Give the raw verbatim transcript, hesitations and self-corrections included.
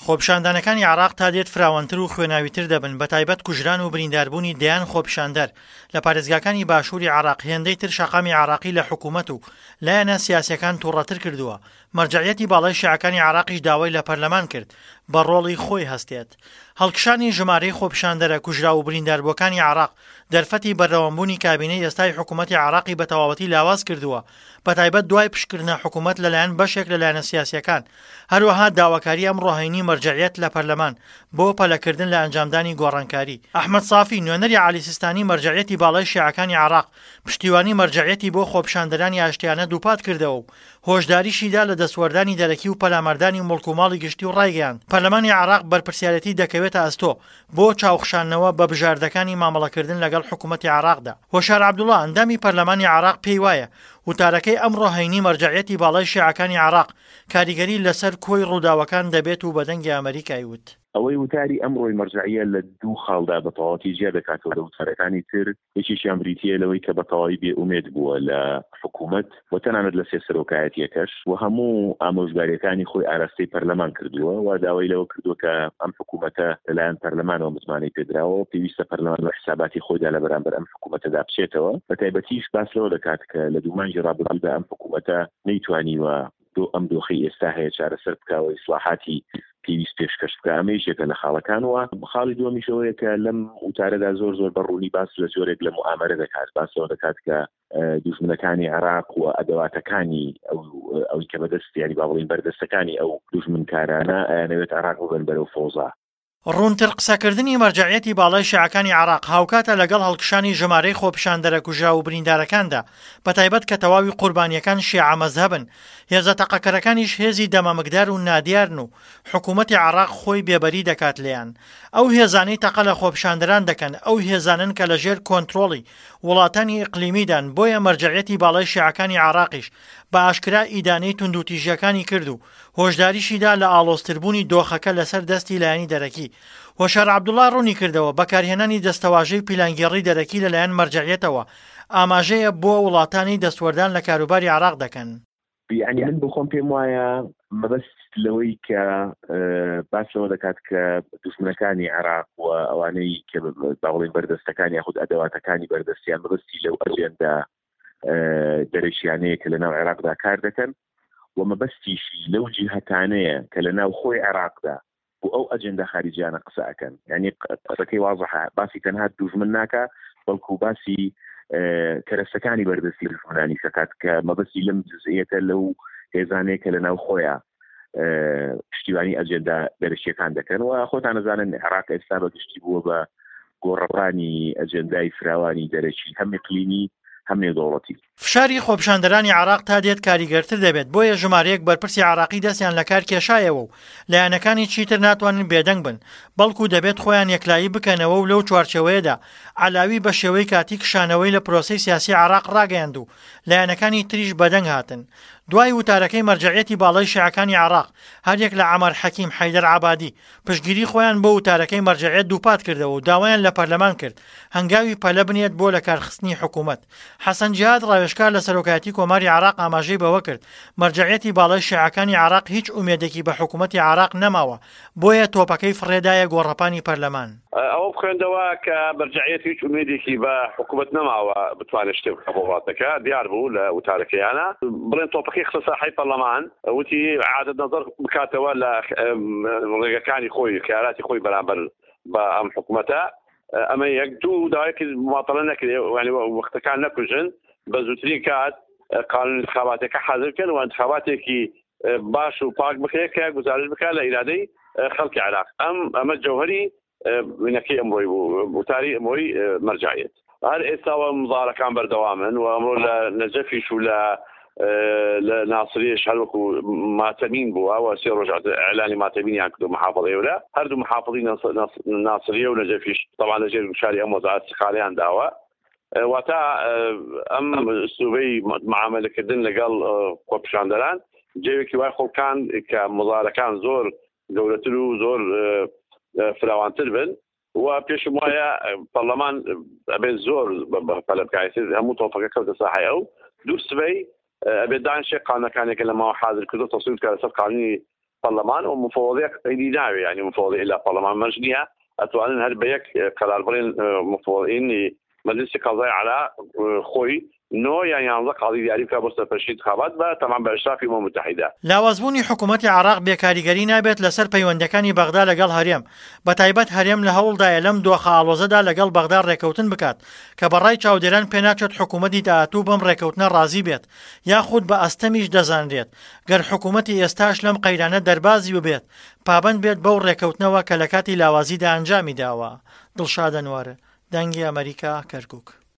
خۆپیشاندانەکانی عێراق تا دێت فراوانتر و خوێناویتر دەبن، بەتایبەت کوژران و برینداربوونی دەیان خۆپیشاندەر لە پارێزگاکانی باشووری عێراق هێندەی تر شەقامی عێراقی لە حکوومەت و لایەنە سیاسییەکان تووڕەتر کردووە. مەرجەعیەتی باڵای شیعەکانی عێراقیش داوای لە پەرلەمان کرد بە ڕۆڵی خۆی هەستێت. هەڵکشانی ژمارەی خۆپیشاندەرە کوژراو و برینداربووەکانی عێراق دەرفەتی بەردەوامبوونی کابینەی ئێستای حکوومەتی عێراقی بە تەواوەتی لاواز کردووە، بەتایبەت دوای پشتکردنە حکوومەت لەلایەن بەشێک لە لایەنە سیاسییەکان. هەروەها داواکاری ئەمڕۆ هەینی مەرجەعیەت لە پەرلەمان بۆ پەلەکردن لە ئەنجامدانی گۆڕانکاری. ئەحمەد سافی، نوێنەری عەلی سیستانی مەرجەعیەتی باڵای شیعەکانی عێراق، پشتیوانی مەرجەعیەتی بۆ خۆپیشاندەرانی ئاشتیانە دووپات کردەوە و هۆشداریشی دا لە دەستوەردانی دەرەکی و پەلاماردانی موڵک و ماڵی گشتی و ڕایگەیاند، پەرلەمانی عێراق بەرپرسیارێتی دەکەوێتە ئەستۆ بۆ چاوخشاندنەوە بە بژاردەکانی مامەڵەکردن لەگەڵ حکوومەتی عێراقدا. هۆشیار عەبدوڵا، ئەندامی پەرلەمانی عێراق پێی وایە وتارەکەی ئەمڕۆ هەینی مەرجەعیەتی باڵای شیعەکانی عێراق کاریگەری لەسەر کۆی ڕووداوەکان دەبێت و بە دەنگی ئەمەریکای وت. ئەوەی وتاری ئەمڕۆی مەرجەعیە لە دوو خاڵدا بە تەواوەتی جیا دەکاتەوە لە وتارەکانی تر، یەکێکیان بریتییە لەوەی کە بە تەواوی بێ ئومێد بووە لە حکوومەت و تەنانەت لە سێ سەرۆکایەتییەکەش و هەموو ئامۆژگارییەکانی خۆی ئاراستەی پەرلەمان کردووە و داوای لەوە کردووە کە ئەم حکوومەتە لەلایەن پەرلەمانەوە متمانەی پێدراوە و پێویستە پەرلەمان لە حساباتی خۆیدا لە بەرامبەر ئەم حکوومەتەدا بچێتەوە. بە تایبەتیش باس لەوە دەکات کە لە دوو مانگی ڕابردوودا ئەم حکوومەتە نەیتوانیوە دۆ ئەم دۆخەی ئێستا هەیە چارەسەر بکا و ئیسلاحاتی پێویست پێشکەش بکا. ئەمە یەکێکە لە خاڵەکان. و خاڵی دووەمیش ئەوەیە کە لەم وتارەدا زۆر زۆر بە ڕوونی باس لە جۆرێک لە موئامەرە دەکات، باس لەوە دەکات کە دوژمنەکانی عێراق و ئەدەواتەکانی ئەو ئەوی کە بەدەست یانی با بڵێین بەردەستەکانی ئەو دوژمنکارانە ئەیانەوێت عێراق ببەن بەرەو فەوزا. ڕوونتر قسەکردنی مەرجەعیەتی باڵای شیعەکانی عێراق هاوکاتە لەگەڵ هەڵکشانی ژمارەی خۆپیشاندەرە کوژراو و بریندارەکاندا، بەتایبەت کە تەواوی قوربانییەکان شیعە مەزهەبن، هێزە تەقەکەرەکانیش هێزی دەمامکدار و نادیارن و حکوومەتی عێراق خۆی بێبەری دەکات لێیان. ئەو هێزانەی تەقە لە خۆپیشاندەران دەکەن ئەو هێزانەن کە لەژێر کۆنترۆڵی وڵاتانی ئیقلیمیدان، بۆیە مەرجەعیەتی باڵای شیعەکانی عێراقیش بە ئاشکرا ئیدانەی توندوتیژییەکانی کرد و هۆشداریشی دا لە ئاڵۆزتربوونی دۆخەکە لەسەر دەستی لایەنی دەرەکی. هۆشیار عەبدوڵا ڕوونیکردەوە، بەکارهێنانی دەستەواژەی پیلانگێڕی دەرەکی لەلایەن مەرجەعیەتەوە ئاماژەیە بۆ وڵاتانی دەستوەردان لە کاروباری عێراق دەکەن. یەعنی من بۆ خۆم پێم وایە مەبەست لەوەی کە باس لەوە دەکات کە دوژمنەکانی عێراق و ئەوانەی کە با بڵێین بەردەستەکان یاخود ئەدەواتەکانی بەردەستیان مەبەستی لەو ئەجێندا دەرەکیانەیە کە لەناو عێراقدا کار دەکەن و مەبەستیشی لەو جیهەتانەیە کە لەناو خۆی عێراقدا بۆ ئەو ئەجێندا خاریجیانە قسە ئەکەن. یعنی قسەکەی وازحە، باسی تەنها دوژمن ناکا بەڵکو باسی کەرەسەکانی بەردەستی دوژمنانیش دەکات کە مەبەستی لەم جزئیەتە لەو هێزانەیە کە لەناو خۆیان پشتیوانی ئەجێندا دەرەکیەکان دەکەن. و خۆتان ئەزانن عێراق ئێستا بە گشتی بووە بە گۆڕەپانی ئەجێندای فراوانی دەرەکی، هەم ئیقلیمی هەم نێودەوڵەتی. فشاری خۆپیشاندەرانی عێراق تا دێت کاریگەرتر دەبێت، بۆیە ژمارەیەک بەرپرسی عێراقی دەستیان لەکار کێشایەوە و لایەنەکانی چیتر ناتوانن بێدەنگ بن، بەڵکو دەبێت خۆیان یەکلایی بکەنەوە و لەو چوارچێوەیەدا عەلاوی بە شێوەی کاتی کشانەوەی لە پرۆسەی سیاسی عێراق ڕاگەیاند و لایەنەکانی تریش بەدەنگ هاتن. دوای وتارەکەی مەرجەعیەتی باڵای شیعەکانی عێراق، هەریەک لە عەمار حەکیم، حەیدەر عەبادی، پشتگیری خۆیان بۆ وتارەکەی مەرجەعیەت دووپات کردەوە و داوایان لە پەرلەمان کرد هەنگاوی پەلە بنێت بۆ لەکارخستنی حکوومەت. حەسەن جیهاد ڕاوێژکار لە سەرۆکایەتی کۆماری عێراق ئاماژەی بەوە کرد، مەرجەعیەتی باڵای شیعەکانی عێراق هیچ ئومێدێکی بە حکوومەتی عێراق نەماوە، بۆیە تۆپەکەی فڕێدایە گۆڕەپانی پەرلەمان. ئەوەم خوێندەوە کە مەرجەعیەت هیچ ئومێدێکی بە حکوومەت نەماوە بتوانێت شتێک بکات بۆ وڵاتەکە، دیار بوو لە وتارەکەیانە بڵێن تۆپەکەی خستە ساحەی پەرلەمان، وتی عادەت نەزەر بکاتەوە لە ڕێگەکانی خۆی، خیاراتی خۆی بەرامبەر بە ئەم حکوومەتە. ئەمە یەک. دوو، داوای کرد مماتەڵە نەکرێ، یعنی وەختەکان نەکوژن، بە زووترین کات قانون انتخاباتەکە حازر بکەن و انتخاباتێکی باش و پاک بکرێت کە گزارش بکات لە ئیرادەی خەڵکی عێراق. ئەم ئەمە جەوهری وینەکەی ئەمڕۆی بوو، وتاری ئەمڕۆی مەرجەعیەت. هەر ئێستاوە مزارەکان بەردەوامن و ئەمڕۆ لە نەجەفیش و لە لە ناسریش هەروەکو ماتەمین بووە و سێ ڕۆژ ئیعلانی ماتەمینیان کردو محافظەی ئەورە هەردوو محافظی ناسریە و نەجەفیش طبعا لەژێر گوشاری ئەم وەزعە استقالیان داوە. واتە ئەم ئسلوبەی معاملەکردن لەگەڵ خۆپیشاندەران جێوێکی وای خۆڵکان کە مزارەکان زۆر گەورەتر و زۆر فراوانتر بن و پێشم وایە پەرلەمان ئەبێت زۆر پەلە بکات. هەموو تۆپەکە کەوتە ساحەی ئەو. دوو سبەی ئەبێت دانشێ قانونەکانێکە لە ماوە حاضر کردو تەسویب بکات لەسەر قانونی پەرلەمان و مفەوەزیەک ئیدی ناوێ یانی مفەوەزی ئیلا پەرلەمان مەرج نییە ئەتوانن هەر بە یەک قەرار بڵێن مفەوەزینی مەجلسی قەزای عێراق خۆی نۆ یان یانزە قازی دیاری بکا بۆ سەرپەرشتی انتخابات بە تەمان بە ئیشرافی ئومەم متحیدە. لاوازبوونی حکوومەتی عێراق بێ کاریگەری نابێت لەسەر پەیوەندییەکانی بەغدا لەگەڵ هەرێم، بەتایبەت هەرێم لە هەوڵدایە لەم دۆخە ئاڵۆزەدا لەگەڵ بەغدا ڕێککەوتن بکات کە بە ڕای چاودێران پێناچێت حکوومەتی داهاتوو بەم ڕێککەوتنە ڕازی بێت یاخود بە ئەستەمیش دەزانرێت گەر حکوومەتی ئێستاش لەم قەیرانە دەربازی ببێت پابەند بێت بەو ڕێککەوتنەوە کە لە کاتی لاوازیدا ئەنجامی داوە. دڵشاد ئەنوەر، دەنگی ئەمەریکا، کەرکوک.